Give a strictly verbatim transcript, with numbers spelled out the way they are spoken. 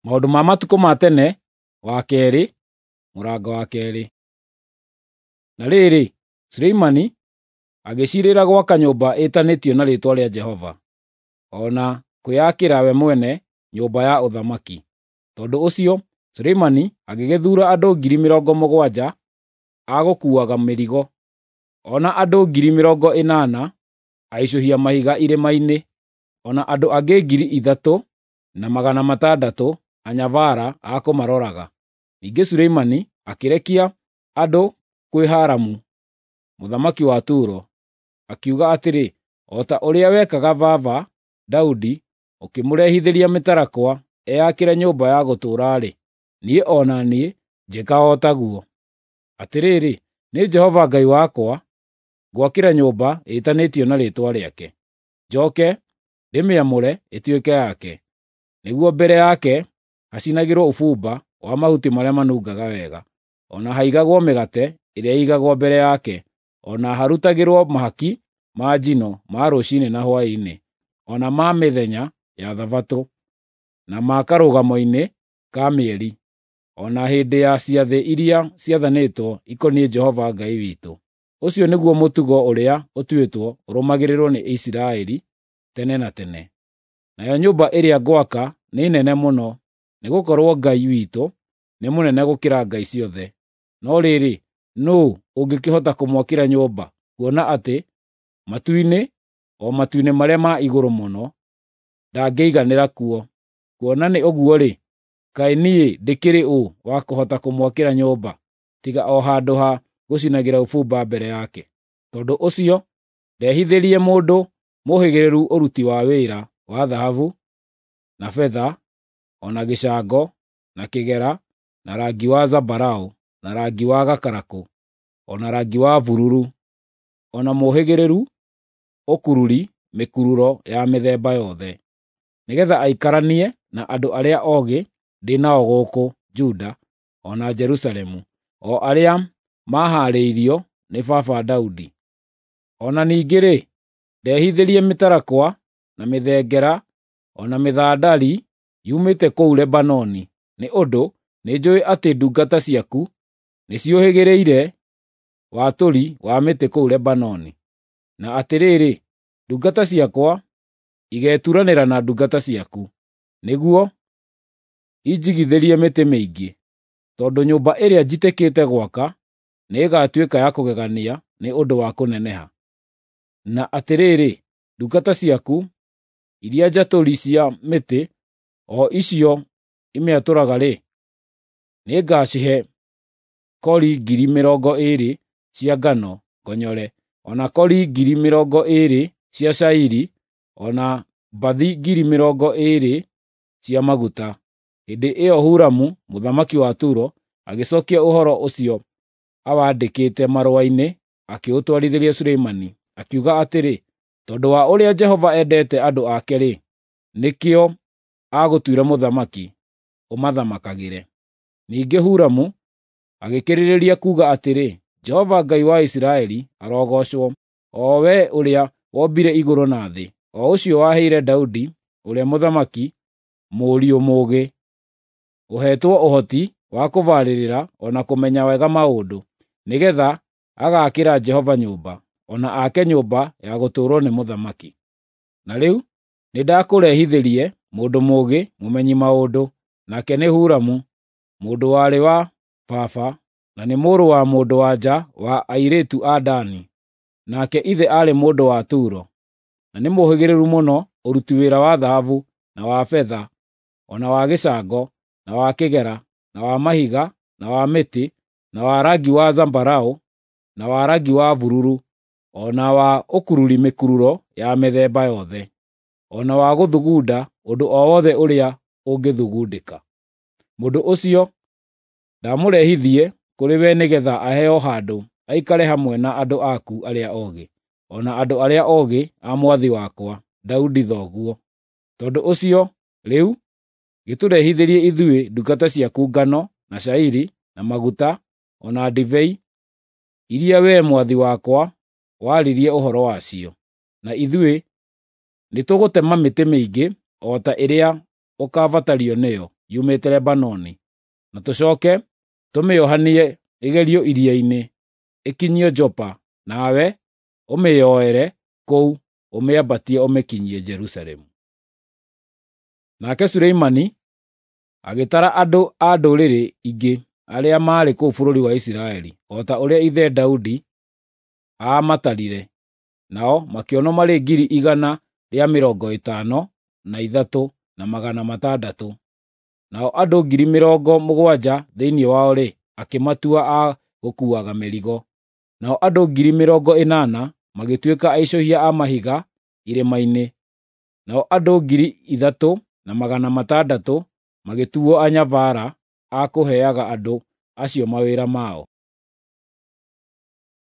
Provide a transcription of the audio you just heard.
Maũndũ ma matukũ ma tene wa keerĩ, mũrango wa keerĩ. Na rĩrĩ, Suleimani agĩciirĩra gwaka nyũmba ĩtanĩtio na rĩĩtwa rĩa Jehova, o na kwĩakĩra we mwene nyũmba ya ũthamaki. Tondũ ũcio Suleimani agĩgĩthuura andũ ngiri mĩrongo mũgwanja a gũkuuaga mĩrigo, o na andũ ngiri mĩrongo ĩnana aicũhia mahiga irĩma-inĩ, o na andũ angĩ ngiri ithatũ na magana matandatũ anyabara a kũmaroraga. Ningĩ Suleimani akĩrekia andũ kwĩ Huramu mũthamaki wa Turo, akiuga atĩrĩ, “O ta ũrĩa wekaga baba Daudi ũkĩmũrehithĩria mĩtarakwa eyakĩre nyũmba ya gũtũũra-rĩ, niĩ o na niĩ njĩka o taguo. Atĩrĩrĩ, nĩ Jehova Ngai wakwa ngwakĩra nyũmba ĩtanĩtio na rĩĩtwa rĩake, njoke ndĩmĩamũre ĩtuĩke yake, nĩguo mbere yake hacinagĩrwo ũbumba wa mahuti marĩa manungaga wega, o na haigagwo mĩgate ĩrĩa ĩigagwo mbere yake, o na harutagĩrwo mahaki ma njino ma rũciinĩ na hwaĩ-inĩ, o na ma mĩthenya ya Thabatũ, na ma karũgamo-inĩ ka mĩeri, o na hĩndĩ ya ciathĩ iria ciathanĩtwo ikoniĩ Jehova Ngai witũ. Ũcio nĩguo mũtugo ũrĩa ũtuĩtwo ũrũmagĩrĩrwo nĩ Isiraeli tene na tene. Nayo nyũmba ĩrĩa ngwaka nĩ nene mũno, nĩgũkorwo Ngai witũ nĩ mũnene gũkĩra ngai ciothe. No rĩrĩ, nũũ ũngĩkĩhota kũmwakĩra nyũmba, kuona atĩ matu-inĩ, o matu-inĩ marĩa ma igũrũ mũno, ndangĩiganĩra kuo? Kuona nĩ ũguo-rĩ, kaĩ niĩ ndĩkĩrĩ ũ wa kũhota kũmwakĩra nyũmba, tiga o handũ ha gũcinagĩra ũbumba mbere yake? Tondũ ũcio ndehithĩrie mũndũ mũhĩgĩrĩru ũruti wa wĩra wa thahabu, na betha, o na gĩcango, na kĩgera, na rangi wa zambarau, na rangi wa gakarakũ, o na rangi wa bururu, o na mũhĩgĩrĩru ũkururi mĩkururo ya mĩthemba yothe, nĩgeetha aikaranie na andũ arĩa oogĩ ndĩ nao gũkũ Juda o na Jerusalemu, o arĩa maahaarĩirio nĩ baba Daudi. O na ningĩ-rĩ, ndehithĩrie mĩtarakwa, na mĩthengera, o na mĩthandari yumĩte kũu Lebanoni, nĩ ũndũ nĩnjũũĩ atĩ ndungata ciaku nĩciũhĩgĩrĩire watũri wa mĩtĩ kũu Lebanoni. Na atĩrĩrĩ, ndungata ciakwa igeturanĩra na ndungata ciaku, nĩguo injigithĩrie mĩtĩ mĩingĩ, tondũ nyũmba ĩrĩa njitĩkĩte gwaka nĩĩgatuĩka ya kũgegania nĩ ũndũ wa kũneneha. Na atĩrĩrĩ, ndungata ciaku iria njatũri cia mĩtĩ, o icio imĩatũraga-rĩ, nĩngacihe kori ngiri mĩrongo ĩĩrĩ cia ngano ngonyore, o na kori ngiri mĩrongo ĩĩrĩ cia cairi, o na mbathi ngiri mĩrongo ĩĩrĩ cia maguta.” Hĩndĩ ĩyo Huramu mũthamaki wa Turo agĩcookia ũhoro ũcio awandĩkĩte marũa-inĩ akĩũtwarithĩria Suleimani, akiuga atĩrĩ, “Tondũ wa ũrĩa Jehova endete andũ ake-rĩ, nĩkĩo aagũtuire mũthamaki ũmathamakagĩre.” Ningĩ Huramu agĩkĩrĩrĩria kuuga atĩrĩ, “Jehova Ngai wa Isiraeli arogoocwo, o we ũrĩa wombire igũrũ na thĩ, o ũcio waheire Daudi ũrĩa mũthamaki mũriũ mũũgĩ, ũheetwo ũhoti wa kũbarĩrĩra o na kũmenya wega maũndũ, nĩgeetha agaakĩra Jehova nyũmba, o na ake nyũmba ya gũtũũrwo nĩ mũthamaki. Na rĩu nĩndakũrehithĩrie mũndũ mũũgĩ mũmenyi maũndũ, nake nĩ Huramu, mũndũ warĩ wa baba, na nĩ mũrũ wa mũndũ-wa-nja wa airĩtu a Dani, nake ithe aarĩ mũndũ wa Turo, na nĩ mũũhĩgĩrĩru mũno ũruti wĩra wa thahabu, na wa betha, o na wa gĩcango, na wa kĩgera, na wa mahiga, na wa mĩtĩ, na wa rangi wa zambarau, na wa rangi wa bururu, o na wa ũkururi mĩkururo ya mĩthemba yothe, o na wa gũthugunda ũndũ o wothe ũrĩa ũngĩthugundĩka. Mũndũ ũcio ndamũrehithie kũrĩ we nĩgeetha aheo handũ aikare hamwe na andũ aku arĩa oogĩ, o na andũ arĩa oogĩ a mwathi wakwa Daudi thoguo. Tondũ ũcio rĩu gĩtũrehithĩrie ithuĩ ndungata ciaku ngano, na cairi, na maguta, o na ndibei, iria wee mwathi wakwa waririe ũhoro wacio. Na ithuĩ nĩtũgũtema mĩtĩ mĩingĩ o ta ĩrĩa ũkaabatario nĩyo yumĩte Lebanoni, na tũcooke tũmĩohanie ĩgerio iria-inĩ, ĩkinyio Jopa, nawe ũmĩyoere kũu ũmĩambatie ũmĩkinyie Jerusalemu. Nake Suleimani agĩtara andũ a ndũrĩrĩ ingĩ arĩa maarĩ kũu bũrũri wa Isiraeli, o ta ũrĩa ithe Daudi aamatarire, nao makĩonwo marĩ ngiri igana rĩa mĩrongo ĩtano na ithatũ na magana matandatũ. Nao andũ ngiri mĩrongo mũgwanja thĩinĩ wao-rĩ, akĩmatua a gũkuuaga mĩrigo. Nao andũ ngiri mĩrongo ĩnana magĩtuĩka aicũhia a mahiga irĩma-inĩ, nao andũ ngiri ithatũ na magana matandatũ magĩtuo anyabara a kũheaga andũ acio mawĩra mao.